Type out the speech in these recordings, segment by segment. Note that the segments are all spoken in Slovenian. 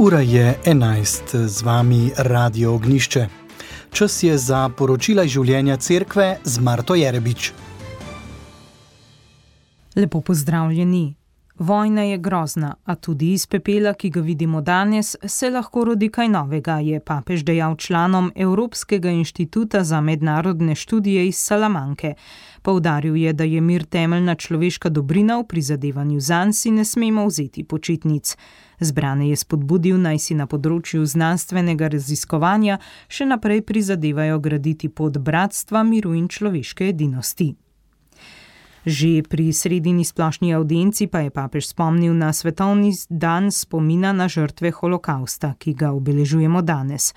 Ura je 11, z vami Radio Ognjišče. Čas je za poročila iz življenja cerkve z Marto Jerebič. Lepo pozdravljeni. Vojna je grozna, a tudi iz pepela, ki ga vidimo danes, se lahko rodi kaj novega, je papež dejal članom Evropskega inštituta za mednarodne študije iz Salamanke. Poudaril je, da je mir temeljna človeška dobrina, v prizadevanju zanj si ne smemo vzeti počitnic. Zbrane je spodbudil, naj si na področju znanstvenega raziskovanja še naprej prizadevajo graditi pot bratstva, miru in človeške edinosti. Že pri sredini splošni avdienci pa je papež spomnil na svetovni dan spomina na žrtve holokausta, ki ga obeležujemo danes.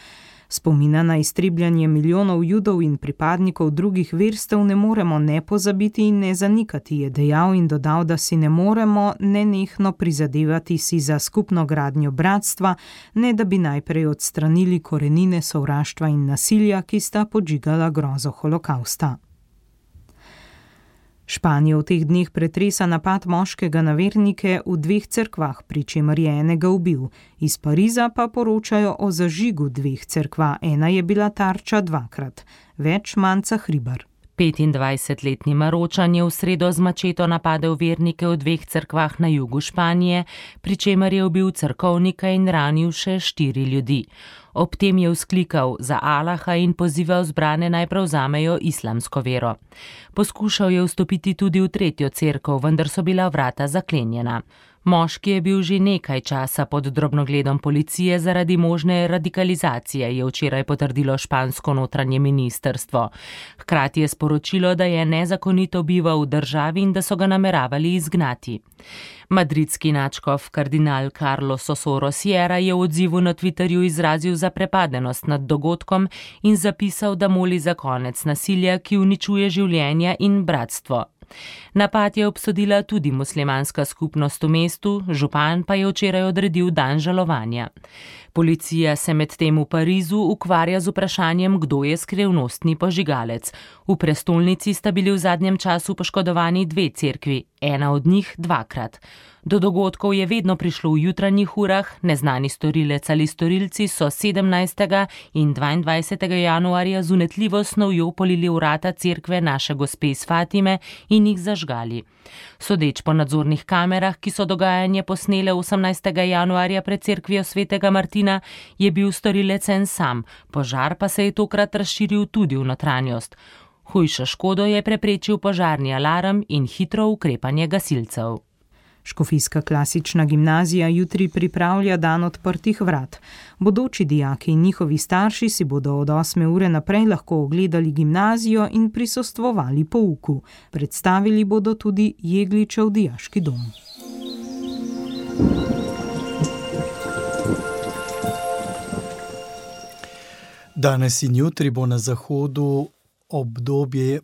Spomina na iztrebljanje milijonov Judov in pripadnikov drugih verstev ne moremo ne pozabiti in ne zanikati, je dejal in dodal, da si ne moremo nenehno prizadevati si za skupno gradnjo bratstva, ne da bi najprej odstranili korenine sovraštva in nasilja, ki sta podžigala grozo holokausta. Španijo v teh dneh pretresa napad moškega na vernike v 2 cerkvah, pri čemer je enega ubil. Iz Pariza pa poročajo o zažigu 2 cerkva, ena je bila tarča 2-krat. Več Manca Hribar. 25-letni Maročan je v sredo z mačeto napadel vernike v 2 cerkvah na jugu Španije, pri čemer je ubil cerkovnika in ranil še 4 ljudi. Ob tem je vzklikal za Allaha in pozival zbrane naj prevzamejo islamsko vero. Poskušal je vstopiti tudi v 3. cerkev, vendar so bila vrata zaklenjena. Moški je bil že nekaj časa pod drobnogledom policije zaradi možne radikalizacije, je včeraj potrdilo špansko notranje ministrstvo. Hkrati je sporočilo, da je nezakonito bival v državi in da so ga nameravali izgnati. Madridski nadškof kardinal Carlos Osoro Sierra je v odzivu na Twitterju izrazil zaprepadenost nad dogodkom in zapisal, da moli za konec nasilja, ki uničuje življenja in bratstvo. Napad je obsodila tudi muslimanska skupnost v mestu, župan pa je včeraj odredil dan žalovanja. Policija se medtem v Parizu ukvarja z vprašanjem, kdo je skrivnostni požigalec. V prestolnici sta bili v zadnjem času poškodovani 2 cerkvi, ena od njih 2-krat. Do dogodkov je vedno prišlo v jutranjih urah, neznani storilec ali storilci so 17. in 22. januarja z unetljivo snovjo polili vrata cerkve Naše Gospe iz Fatime in jih zažgali. Sodeč po nadzornih kamerah, ki so dogajanje posnele 18. januarja pred cerkvijo svetega Martina, je bil storilec en sam, požar pa se je tokrat razširil tudi v notranjost. Hujšo škodo je preprečil požarni alarm in hitro ukrepanje gasilcev. Škofijska klasična gimnazija jutri pripravlja dan odprtih vrat. Bodoči dijaki in njihovi starši si bodo od 8. ure naprej lahko ogledali gimnazijo in prisostvovali pouku. Predstavili bodo tudi Jegličev dijaški dom. Danes in jutri bo na zahodu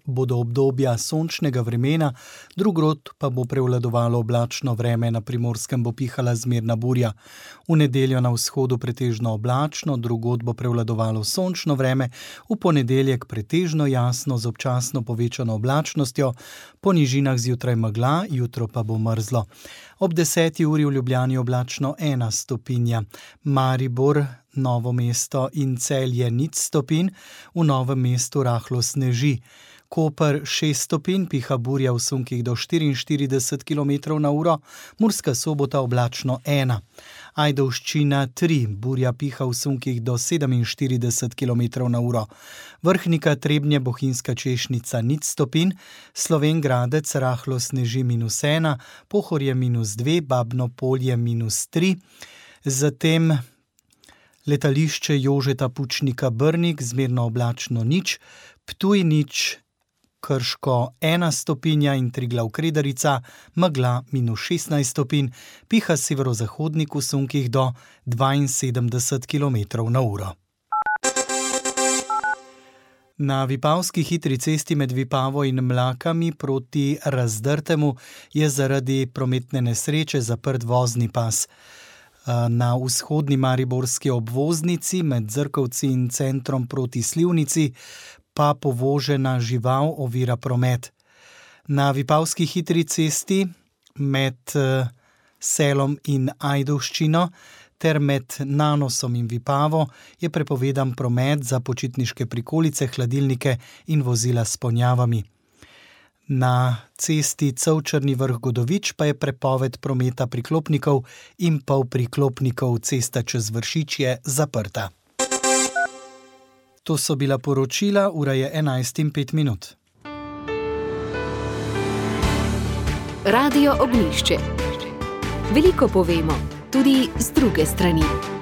bodo obdobja sončnega vremena, drugod pa bo prevladovalo oblačno vreme, na Primorskem bo pihala zmerna burja. V nedeljo na vzhodu pretežno oblačno, drugod bo prevladovalo sončno vreme, v ponedeljek pretežno jasno z občasno povečano oblačnostjo, po nižinah zjutraj megla, jutro pa bo mrzlo. Ob 10. uri v Ljubljani oblačno 1 stopinja, Maribor, Novo mesto in Celje 0 stopinj, v Novem mestu rahlo sneži. Koper 6 stopinj, piha burja v sunkih do 44 km/h, Murska Sobota oblačno 1. Ajdovščina 3, burja piha v sunkih do 47 km/h. Vrhnika, Trebnje, Bohinjska Češnica 0 stopinj, Slovenj Gradec rahlo sneži -1, Pohorje -2, Babno Polje -3, zatem letališče Jožeta Pučnika Brnik, zmerno oblačno 0, Ptuj 0, Krško 1 stopinja in Triglav Kredarica, megla -16 stopinj, piha severozahodnik v sunkih do 72 km/h. Na Vipavski hitri cesti med Vipavo in Mlakami proti Razdrtemu je zaradi prometne nesreče zaprt vozni pas. Na vzhodni mariborski obvoznici med Zrkovci in centrom proti Slivnici pa povožena žival ovira promet. Na Vipavski hitri cesti med Selom in Ajdovščino ter med Nanosom in Vipavo je prepovedan promet za počitniške prikolice, hladilnike in vozila s ponjavami. Na cesti Cevčerni Vrh-Godovič pa je prepoved prometa priklopnikov in polpriklopnikov, cesta čez Vršič je zaprta. To so bila poročila, ura je 11:05. Radio Ognjišče. Veliko povemo, tudi z druge strani.